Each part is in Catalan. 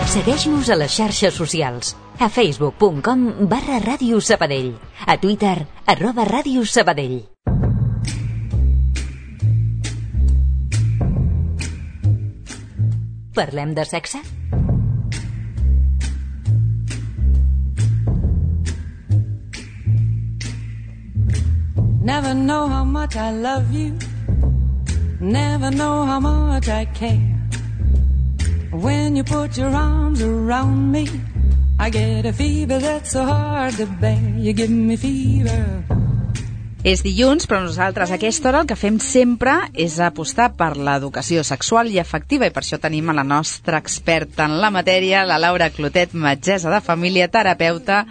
Segueix-nos a les xarxes socials. A facebook.com/Ràdio Sabadell. A Twitter, @Ràdio Sabadell. Parlem de sexe? Never know how much I love you. Never know how much I care. When you put your arms around me, I get a fever that's so hard to bear. You give me fever. És dilluns, però nosaltres a aquesta hora el que fem sempre és apostar per l'educació sexual i afectiva, i per això tenim a la nostra experta en la matèria, la Laura Clotet, metgessa de família, terapeuta,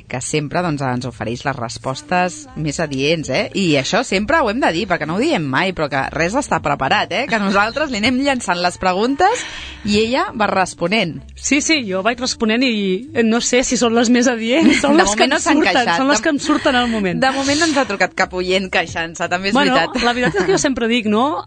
que sempre doncs, ens ofereix les respostes més adients, I això sempre ho hem de dir, perquè no ho diem mai, però que res està preparat, que nosaltres li anem llançant les preguntes i ella va responent. Sí, jo vaig responent i no sé si són les més adients, són les que em surten, són les que em surten al moment. De moment no ens ha trucat cap oient queixant-se, també és veritat. La veritat és que jo sempre dic, no?,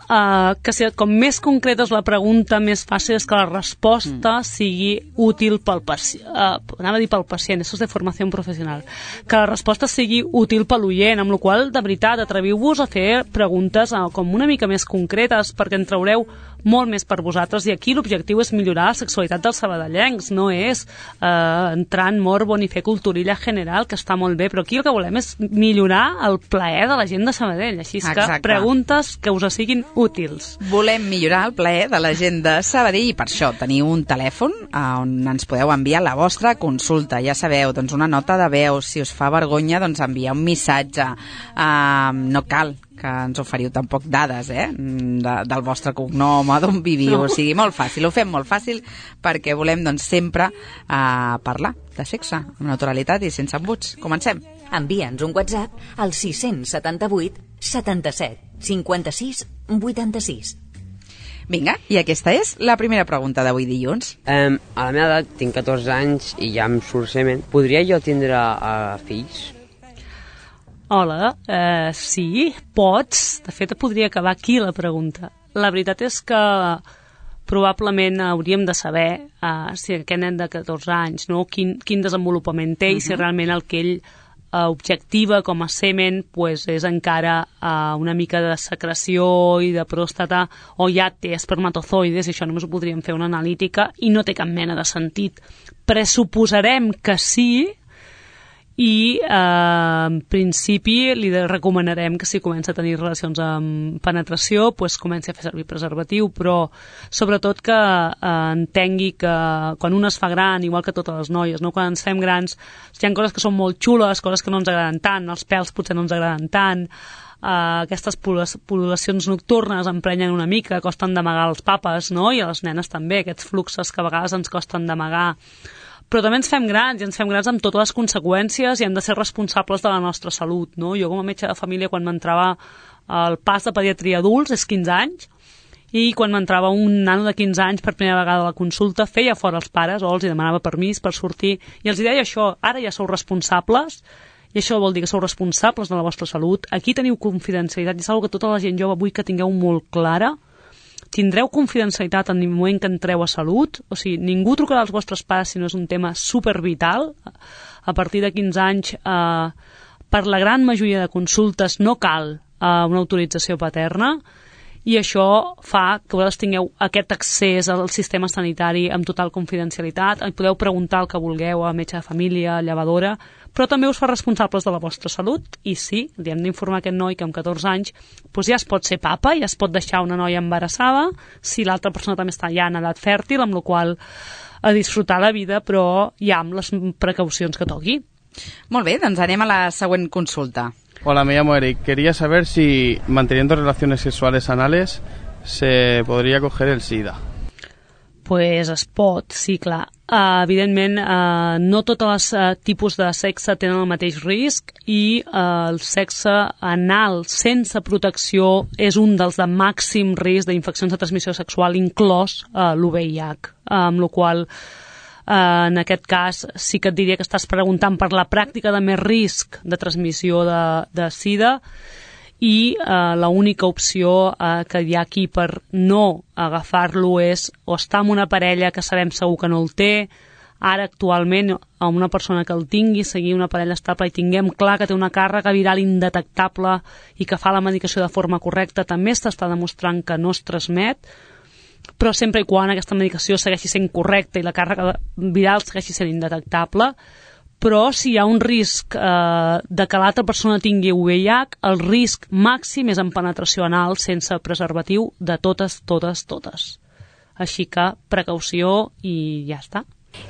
que com més concreta és la pregunta, més fàcil és que la resposta sigui útil pel pacient. Anava a dir pel pacient, això és de formació professional. Que la resposta sigui útil per l'oient, amb la qual, de veritat, atreviu-vos a fer preguntes com una mica més concretes, perquè en traureu molt més per vosaltres, i aquí l'objectiu és millorar la sexualitat dels sabadellencs, no és entrar en morbo ni fer culturilla general, que està molt bé, però aquí el que volem és millorar el plaer de la gent de Sabadell, així que Exacte. Preguntes que us siguin útils. Volem millorar el plaer de la gent de Sabadell i per això teniu un telèfon on ens podeu enviar la vostra consulta, ja sabeu, doncs una nota de veu, si us fa vergonya doncs enviar un missatge, no cal que ens oferiu tampoc dades del vostre cognom o d'on viviu, o sigui, molt fàcil, ho fem molt fàcil perquè volem doncs sempre parlar de sexe amb naturalitat i sense embuts. Comencem. Envia'ns un WhatsApp al 678 77 56 86. Vinga, i aquesta és la primera pregunta d'avui dilluns. A la meva edat tinc 14 anys i ja em surt semen. Podria jo tindre fills? Hola, sí, pots. De fet, podria acabar aquí la pregunta. La veritat és que probablement hauríem de saber si aquest nen de 14 anys, no, quin desenvolupament té i si realment el que ell objectiva com a semen pues, és encara una mica de secreció i de pròstata, o ja té espermatozoides, i això només ho podríem fer una analítica i no té cap mena de sentit. Pressuposarem que sí, i en principi li recomanarem que si comença a tenir relacions amb penetració pues comenci a fer servir preservatiu, però sobretot que entengui que quan un es fa gran, igual que totes les noies, no? Quan ens fem grans hi ha coses que són molt xules, coses que no ens agraden tant, els pèls potser no ens agraden tant, aquestes pol·lulacions nocturnes emprenyen una mica, costen d'amagar els papes, no? I a les nenes també, aquests fluxes que a vegades ens costen d'amagar, però també ens fem grans, i ens fem grans amb totes les conseqüències i hem de ser responsables de la nostra salut, no? Jo com a metge de família, quan m'entrava el pas de pediatria adults, és 15 anys, i quan m'entrava un nano de 15 anys per primera vegada a la consulta, feia fora els pares o els demanava permís per sortir, i els deia això, ara ja sou responsables, i això vol dir que sou responsables de la vostra salut, aquí teniu confidencialitat, i és una cosa que tota la gent jove vull que tingueu molt clara. Tindreu confidencialitat en el moment que entreu a salut, o sigui, ningú trucarà als vostres pares si no és un tema supervital. A partir de 15 anys, per la gran majoria de consultes no cal una autorització paterna, i això fa que vosaltres tingueu aquest accés al sistema sanitari amb total confidencialitat, podeu preguntar el que vulgueu a metge de família, a llevadora, però també us fa responsables de la vostra salut, i sí, li hem d'informar a aquest noi que amb 14 anys doncs ja es pot ser papa, ja es pot deixar una noia embarassada, si l'altra persona també està ja en edat fèrtil, amb la qual a disfrutar la vida, però ja amb les precaucions que toqui. Molt bé, doncs anem a la següent consulta. Hola, me llamo Eric. Quería saber si manteniendo relaciones sexuales anales se podría coger el SIDA. Pues es pot, sí, clar. Evidentment, no tots els tipus de sexe tenen el mateix risc, i el sexe anal sense protecció és un dels de màxim risc d'infeccions de transmissió sexual, inclòs l'UVIH, amb la qual en aquest cas sí que et diria que estàs preguntant per la pràctica de més risc de transmissió de SIDA, i l'única opció que hi ha aquí per no agafar-lo és o estar amb una parella que sabem segur que no el té, ara actualment amb una persona que el tingui, seguir una parella estable i tinguem clar que té una càrrega viral indetectable i que fa la medicació de forma correcta, també s'està demostrant que no es transmet, però sempre i quan aquesta medicació segueixi sent correcta i la càrrega viral segueixi sent indetectable. Però si hi ha un risc de que l'altra persona tingui VIH, el risc màxim és en penetració anal sense preservatiu de totes. Així que precaució i ja està.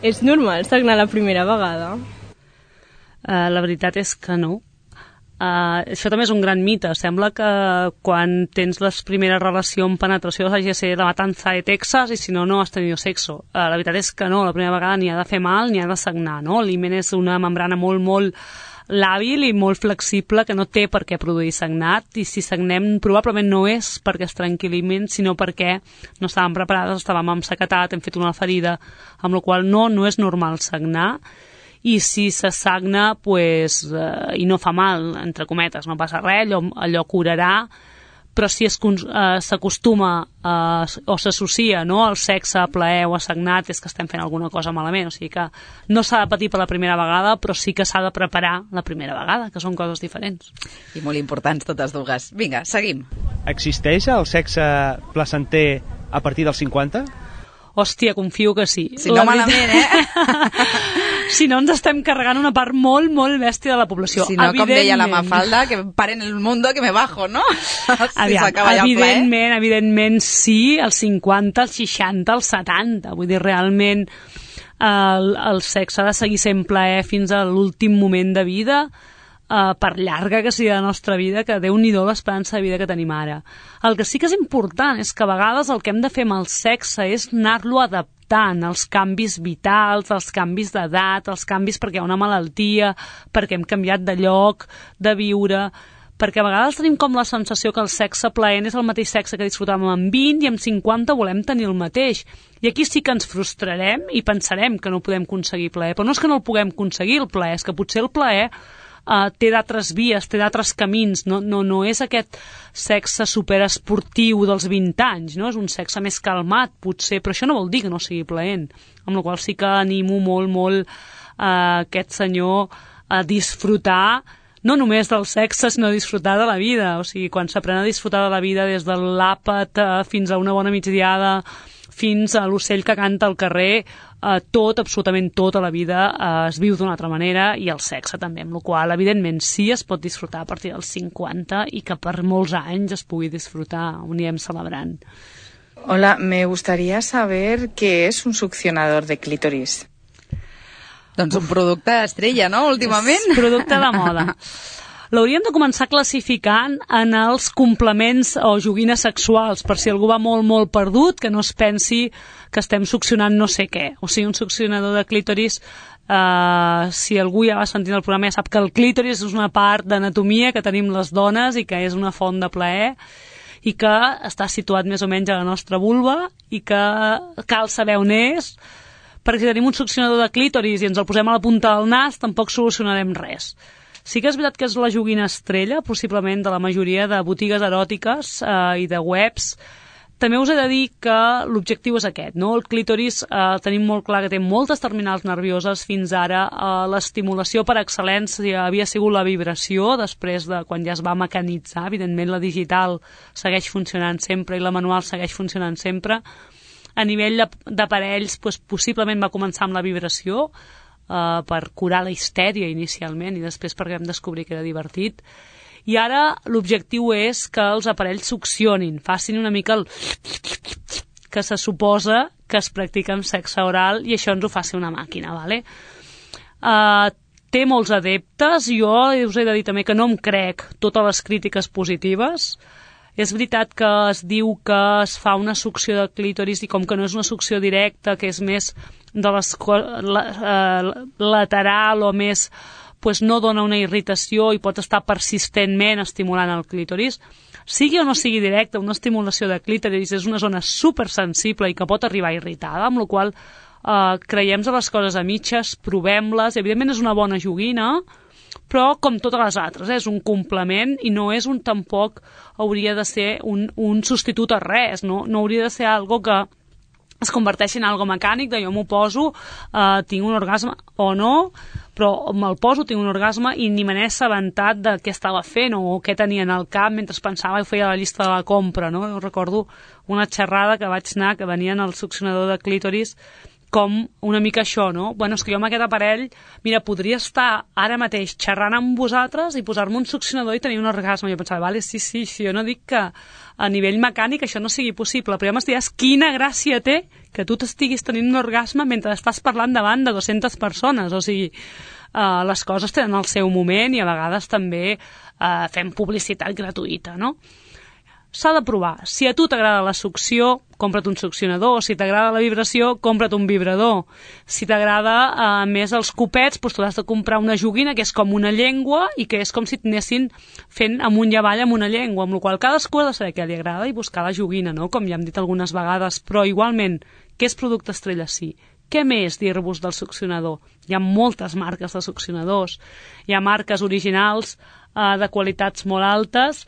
És normal sagnar la primera vegada? La veritat és que no. Això també és un gran mite. Sembla que quan tens les primeres relacions amb penetració hagi de ser la matança de Texas i si no, no has tenido sexo. La veritat és que no, la primera vegada ni ha de fer mal ni ha de sagnar, no? L'himen és una membrana molt làbil i molt flexible que no té per què produir sagnat, i si sagnem probablement no és perquè es trenqui l'himen, sinó perquè no estàvem preparades, estàvem ensacatat, hem fet una ferida, amb la qual no és normal sagnar. I si se sagna i no fa mal, entre cometes, no passa res, allò curarà, però si s'acostuma o s'associa al sexe, a plaer o a sagnat, és que estem fent alguna cosa malament. O sigui que no s'ha de patir per la primera vegada, però sí que s'ha de preparar la primera vegada, que són coses diferents. I molt importants totes dues. Vinga, seguim. Existeix el sexe placenter a partir dels 50? Hòstia, confio que sí. Si no malament, Si no, ens estem carregant una part molt bèstia de la població. Si no, com deia la Mafalda, que paren el mundo que me bajo, no? Evidentment sí, als 50, als 60, als 70. Vull dir, realment el sexe ha de seguir sent plaer fins a l'últim moment de vida, per llarga que sigui la nostra vida, que Déu-n'hi-do l'esperança de vida que tenim ara. El que sí que és important és que a vegades el que hem de fer amb el sexe és anar-lo adaptant als canvis vitals, als canvis d'edat, als canvis perquè hi ha una malaltia, perquè hem canviat de lloc, de viure, perquè a vegades tenim com la sensació que el sexe plaent és el mateix sexe que disfrutàvem amb 20 i amb 50 volem tenir el mateix. I aquí sí que ens frustrarem i pensarem que no podem aconseguir plaer. Però no és que no el puguem aconseguir, el plaer, és que potser el plaer té d'altres vies, té d'altres camins, no és aquest sexe superesportiu dels 20 anys, no? És un sexe més calmat, potser, però això no vol dir que no sigui plaent, amb la qual sí que animo molt aquest senyor a disfrutar no només del sexe, sinó disfrutar de la vida. O sigui, quan s'aprèn a disfrutar de la vida des de l'àpat fins a una bona migdiada, fins a l'ocell que canta al carrer, absolutament tot a la vida es viu d'una altra manera, i el sexe també, amb la qual evidentment sí es pot disfrutar a partir dels 50 i que per molts anys es pugui disfrutar, ho anirem celebrant. Hola, me gustaría saber qué es un succionador de clítoris. Doncs un producte estrella, no?, últimament? És producte de moda. L'hauríem de començar classificant en els complements o joguines sexuals, per si algú va molt perdut, que no es pensi que estem succionant no sé què. O sigui, un succionador de clítoris, si algú ja va sentint el programa ja sap que el clítoris és una part d'anatomia que tenim les dones i que és una font de plaer i que està situat més o menys a la nostra vulva i que cal saber on és, perquè si tenim un succionador de clítoris i ens el posem a la punta del nas tampoc solucionarem res. Sí que és veritat que és la joguina estrella, possiblement, de la majoria de botigues eròtiques i de webs. També us he de dir que l'objectiu és aquest, no? El clítoris tenim molt clar que té moltes terminals nervioses. Fins ara l'estimulació per excel·lència havia sigut la vibració, després de quan ja es va mecanitzar. Evidentment la digital segueix funcionant sempre i la manual segueix funcionant sempre. A nivell d'aparells, possiblement va començar amb la vibració, per curar la histèria inicialment i després perquè vam descobrir que era divertit, i ara l'objectiu és que els aparells succionin, facin una mica el que se suposa que es practica amb sexe oral, i això ens ho faci una màquina, vale? Té molts adeptes. Jo us he de dir també que no em crec totes les crítiques positives. És veritat que es diu que es fa una succió de clítoris i com que no és una succió directa, que és més de lateral o més, no dona una irritació i pot estar persistentment estimulant el clítoris. Sigui o no sigui directa, una estimulació de clítoris és una zona supersensible i que pot arribar irritada, amb la qual creiem a les coses a mitges, provem-les. Evidentment és una bona joguina, però com totes les altres, és un complement i no és tampoc hauria de ser un substitut a res, no hauria de ser algo que es converteix en algo mecànic, de jo m'ho poso, tinc un orgasme o no, però me'l poso, tinc un orgasme i ni me n'he assabentat de què estava fent o què tenia en el cap mentre pensava i feia la llista de la compra, no? Jo recordo una xerrada que vaig anar, que venia en el succionador de clítoris, com una mica això, no? Bueno, és que jo amb aquest aparell, mira, podria estar ara mateix xerrant amb vosaltres i posar-me un succionador i tenir un orgasme. Jo pensava, vale, sí, jo no dic que a nivell mecànic això no sigui possible, però ja m'estiries quina gràcia té que tu t'estiguis tenint un orgasme mentre estàs parlant davant de 200 persones, o sigui, les coses tenen el seu moment i a vegades també fem publicitat gratuïta, no? S'ha de provar. Si a tu t'agrada la succió, compra't un succionador. Si t'agrada la vibració, compra't un vibrador. Si t'agrada més els copets, doncs tu has de comprar una joguina que és com una llengua i que és com si t'anessin fent amunt i avall amb una llengua, amb la qual cadascú ha de saber què li agrada i buscar la joguina, no? Com ja hem dit algunes vegades. Però igualment, què és producte estrella sí? Què més dir-vos del succionador? Hi ha moltes marques de succionadors. Hi ha marques originals de qualitats molt altes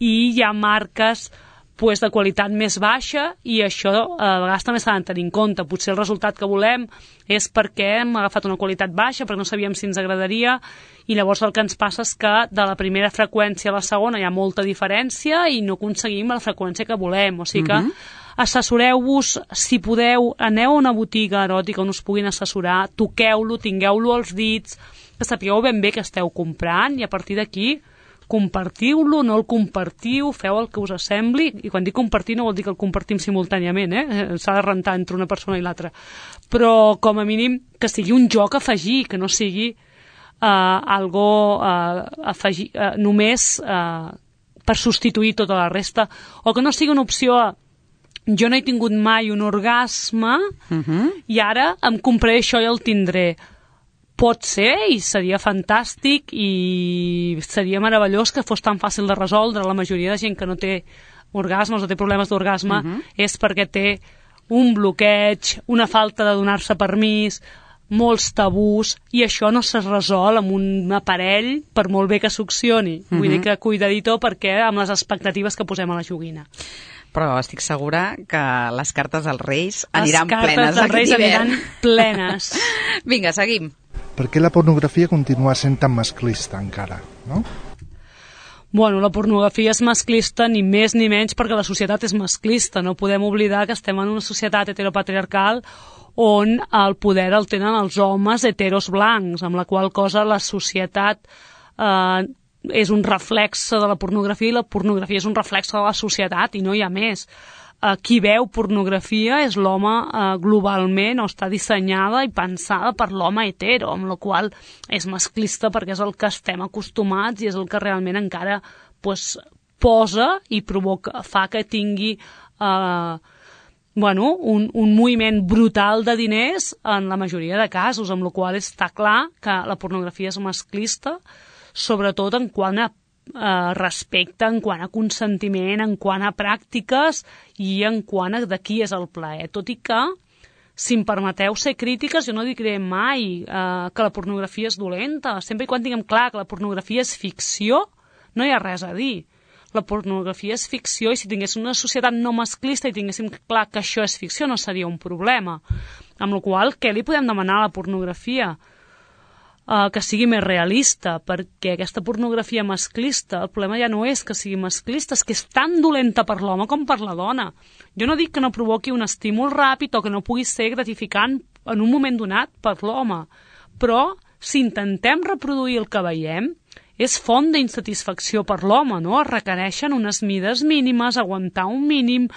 i hi ha marques de qualitat més baixa i això a vegades també s'ha de tenir en compte. Potser el resultat que volem és perquè hem agafat una qualitat baixa, perquè no sabíem si ens agradaria i llavors el que ens passa és que de la primera freqüència a la segona hi ha molta diferència i no aconseguim la freqüència que volem. O sigui que assessoreu-vos, si podeu, aneu a una botiga eròtica on us puguin assessorar, toqueu-lo, tingueu-lo als dits, que sapigueu ben bé què esteu comprant i a partir d'aquí compartiu-lo, no el compartiu, feu el que us sembli, i quan dic compartir no vol dir que el compartim simultàniament, s'ha de rentar entre una persona i l'altra, però com a mínim que sigui un joc a afegir, que no sigui algo afegir, només per substituir tota la resta, o que no sigui una opció jo no he tingut mai un orgasme i ara em compraré això i el tindré. Pot ser i seria fantàstic i seria meravellós que fos tan fàcil de resoldre. La majoria de gent que no té orgasmes o té problemes d'orgasme és perquè té un bloqueig, una falta de donar-se permís, molts tabús, i això no se resol amb un aparell per molt bé que succioni. Vull dir que cuidadito perquè amb les expectatives que posem a la joguina. Però estic segura que les cartes dels Reis aniran plenes. Les cartes dels Reis aniran plenes. Vinga, seguim. Per què la pornografia continua sent tan masclista encara, no? Bueno, la pornografia és masclista ni més ni menys perquè la societat és masclista. No podem oblidar que estem en una societat heteropatriarcal on el poder el tenen els homes heteros blancs, amb la qual cosa la societat és un reflexe de la pornografia i la pornografia és un reflexe de la societat i no hi ha més. Qui veu pornografia és l'home globalment, o està dissenyada i pensada per l'home hetero, amb la qual és masclista perquè és el que estem acostumats i és el que realment encara posa i provoca, fa que tingui un moviment brutal de diners en la majoria de casos, amb la qual està clar que la pornografia és masclista, sobretot en quant a respecte, en quant a consentiment, en quant a pràctiques i en quant a de qui és el plaer. Tot i que, si em permeteu ser crítiques, jo no diré mai que la pornografia és dolenta. Sempre i quan tinguem clar que la pornografia és ficció, no hi ha res a dir. La pornografia és ficció i si tinguéssim una societat no masclista i tinguéssim clar que això és ficció no seria un problema. Amb la qual cosa, què li podem demanar a la pornografia? Que sigui més realista, perquè aquesta pornografia masclista, el problema ja no és que sigui masclista, és que és tan dolenta per l'home com per la dona. Jo no dic que no provoqui un estímul ràpid o que no pugui ser gratificant en un moment donat per l'home, però si intentem reproduir el que veiem, és font d'insatisfacció per l'home, no? Es requereixen unes mides mínimes, aguantar un mínim,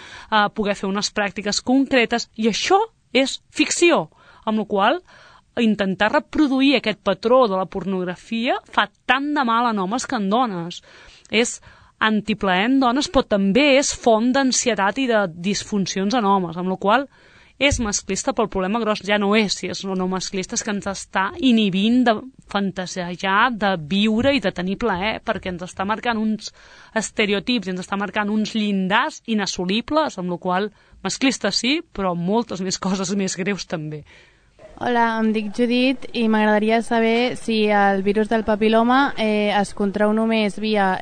poder fer unes pràctiques concretes, i això és ficció, amb la qual cosa intentar reproduir aquest patró de la pornografia fa tant de mal en homes que en dones. És antiplaer en dones, però també és font d'ansietat i de disfuncions en homes, amb la qual és masclista, però el problema gros ja no és si és o no masclista, és que ens està inhibint de fantasejar, de viure i de tenir plaer, perquè ens està marcant uns estereotips i ens està marcant uns llindars inassolibles, amb la qual masclista sí, però moltes més coses més greus també. Hola, em dic Judit i m'agradaria saber si el virus del papiloma es contrau només via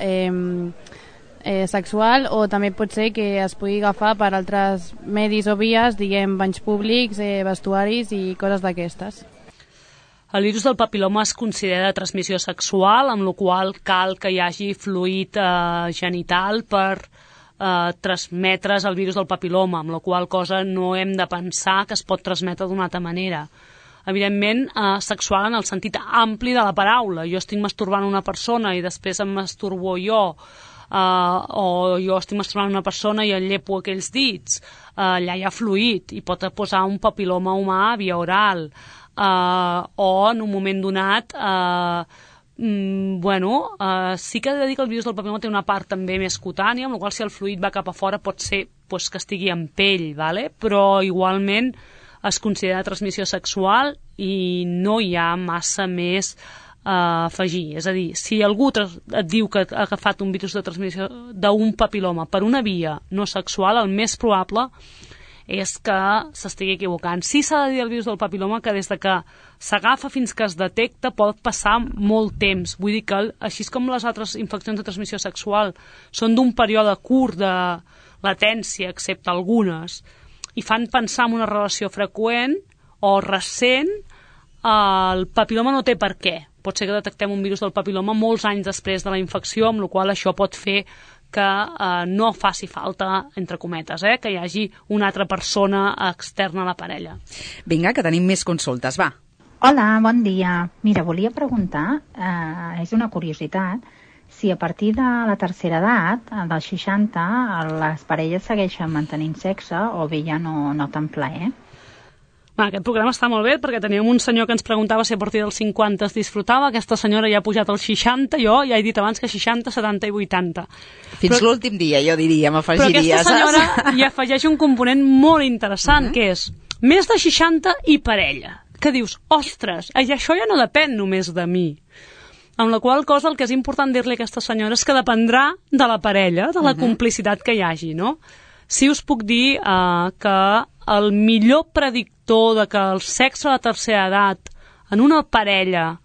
sexual o també pot ser que es pugui agafar per altres medis o vies, diguem, banys públics, vestuaris i coses d'aquestes. El virus del papiloma es considera de transmissió sexual, amb la qual cal que hi hagi fluid genital per transmetre's el virus del papiloma, amb la qual cosa no hem de pensar que es pot transmetre d'una altra manera. Evidentment, sexual en el sentit ampli de la paraula. Jo estic masturbant una persona i després em masturbo jo, o jo estic masturbant una persona i en llepo aquells dits. Allà hi ha fluid i pot posar un papiloma humà via oral. O en un moment donat... sí que he de dir que el virus del papiloma té una part també més cutània, amb la qual si el fluid va cap a fora pot ser que estigui en pell, ¿vale? Però igualment es considera transmissió sexual i no hi ha massa més a afegir. És a dir, si algú et diu que ha agafat un virus de transmissió d'un papiloma per una via no sexual, el més probable és que s'estigui equivocant. Sí s'ha de dir el virus del papiloma que des de que s'agafa fins que es detecta pot passar molt temps. Vull dir que, així com les altres infeccions de transmissió sexual són d'un període curt de latència, excepte algunes, i fan pensar en una relació freqüent o recent, el papiloma no té per què. Pot ser que detectem un virus del papiloma molts anys després de la infecció, amb la qual això pot fer que no faci falta, entre cometes, que hi hagi una altra persona externa a la parella. Vinga, que tenim més consultes, va. Hola, bon dia. Mira, volia preguntar, és una curiositat, si a partir de la tercera edat, dels 60, les parelles segueixen mantenint sexe o bé ja no tan plaer. Aquest programa està molt bé perquè teníem un senyor que ens preguntava si a partir dels 50 es disfrutava, aquesta senyora ja ha pujat als 60, jo ja he dit abans que 60, 70 i 80. Fins l'últim dia, jo diria, m'afegiria. Però aquesta senyora hi afegeix un component molt interessant, que és més de 60 i parella. Que dius, ostres, això ja no depèn només de mi. Amb la qual cosa el que és important dir-li a aquesta senyora és que dependrà de la parella, de la complicitat que hi hagi, no? Sí us puc dir que el millor predictor de que el sexe a la tercera edat en una parella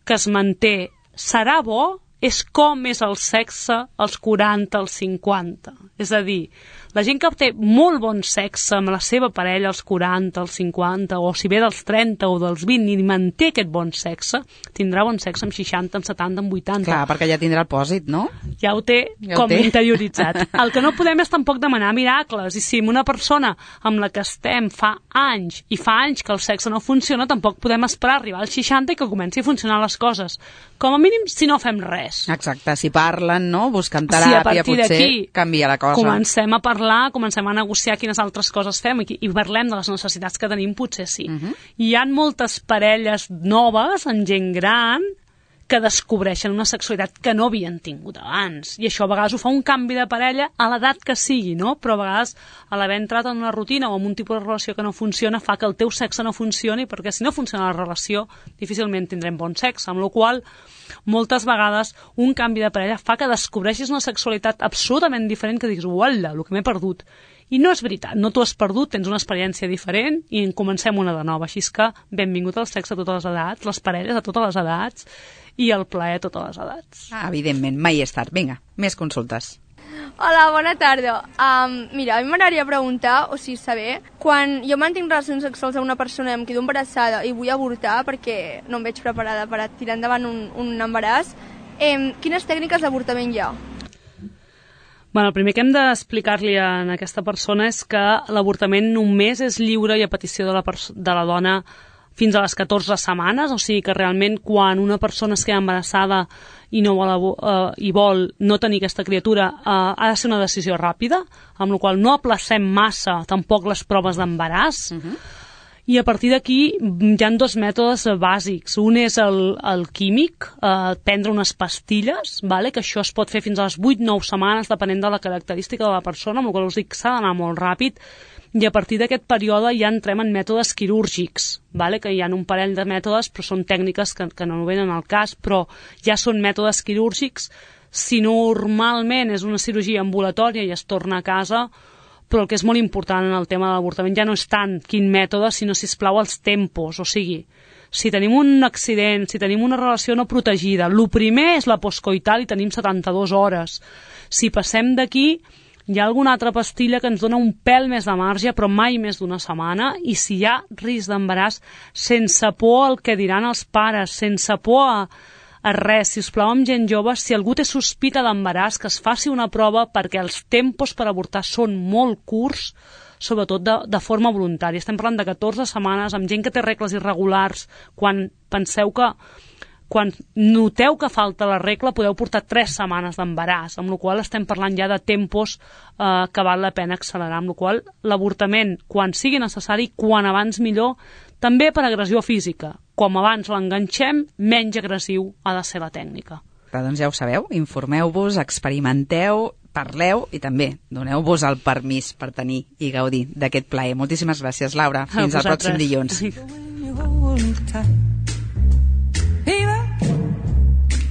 que es manté serà bo és com és el sexe als 40, als 50. És a dir, la gent que té molt bon sexe amb la seva parella als 40, als 50, o si ve dels 30 o dels 20 i manté aquest bon sexe, tindrà bon sexe amb 60, amb 70, amb 80. Clar, perquè ja tindrà el pòsit, no? Ja ho té interioritzat. El que no podem és tampoc demanar miracles, i si una persona amb la que estem fa anys que el sexe no funciona, tampoc podem esperar arribar als 60 i que comenci a funcionar les coses. Com a mínim, si no fem res. Exacte, si parlen, no? Buscant teràpia, potser canvia la cosa. Comencem a parlar, comencem a negociar quines altres coses fem i parlem de les necessitats que tenim, potser sí. Hi ha moltes parelles noves, en gent gran, que descobreixen una sexualitat que no havien tingut abans. I això a vegades ho fa un canvi de parella a l'edat que sigui, no? Però a vegades, a l'haver entrat en una rutina o en un tipus de relació que no funciona, fa que el teu sexe no funcioni, perquè si no funciona la relació, difícilment tindrem bon sexe, amb la qual moltes vegades un canvi de parella fa que descobreixis una sexualitat absolutament diferent, que diguis, uala, el que m'he perdut. I no és veritat, no t'ho has perdut, tens una experiència diferent i en comencem una de nova. Així que benvingut al sexe a totes les edats, les parelles a totes les edats i el plaer a totes les edats. Evidentment, mai és tard. Vinga, més consultes. Hola, bona tarda. Mira, a mi m'agradaria preguntar, o sigui, saber, quan jo mantinc relacions sexuals amb una persona i em quedo embarassada i vull avortar perquè no em veig preparada per tirar endavant un embaràs, quines tècniques d'avortament hi ha? El primer que hem d'explicar-li a aquesta persona és que l'avortament només és lliure i a petició de la dona fins a les 14 setmanes, o sigui que realment quan una persona es queda embarassada i vol no tenir aquesta criatura, ha de ser una decisió ràpida, amb la qual no aplacem massa tampoc les proves d'embaràs. I a partir d'aquí hi ha dos mètodes bàsics. Un és el químic, prendre unes pastilles, que això es pot fer fins a les 8-9 setmanes, depenent de la característica de la persona, amb la qual us dic que s'ha d'anar molt ràpid, i a partir d'aquest període ja entrem en mètodes quirúrgics, que hi ha un parell de mètodes, però són tècniques que no venen al cas, però ja són mètodes quirúrgics. Si normalment és una cirurgia ambulatòria i es torna a casa, però el que és molt important en el tema de l'avortament ja no és tant quin mètode, sinó, sisplau, els tempos. O sigui, si tenim un accident, si tenim una relació no protegida, el primer és la postcoital i tenim 72 hores. Si passem d'aquí, hi ha alguna altra pastilla que ens dona un pèl més de marge, però mai més d'una setmana, i si hi ha risc d'embaràs, sense por al que diran els pares, sense por a res, si us plau, amb gent jove, si algú té sospita d'embaràs, que es faci una prova, perquè els tempos per avortar són molt curts, sobretot de forma voluntària. Estem parlant de 14 setmanes, amb gent que té regles irregulars, quan noteu que falta la regla podeu portar 3 setmanes d'embaràs, amb la qual estem parlant ja de tempos que val la pena accelerar, amb la qual l'avortament, quan sigui necessari, quan abans millor, també per agressió física. Com abans l'enganxem, menys agressiu ha de ser la tècnica. Doncs ja ho sabeu, informeu-vos, experimenteu, parleu i també doneu-vos el permís per tenir i gaudir d'aquest plaer. Moltíssimes gràcies, Laura. Fins al pròxim dilluns.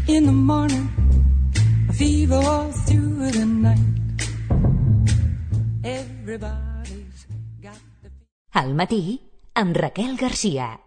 In the morning, a fever all through the night. Everybody's got the... Al matí, amb Raquel Garcia.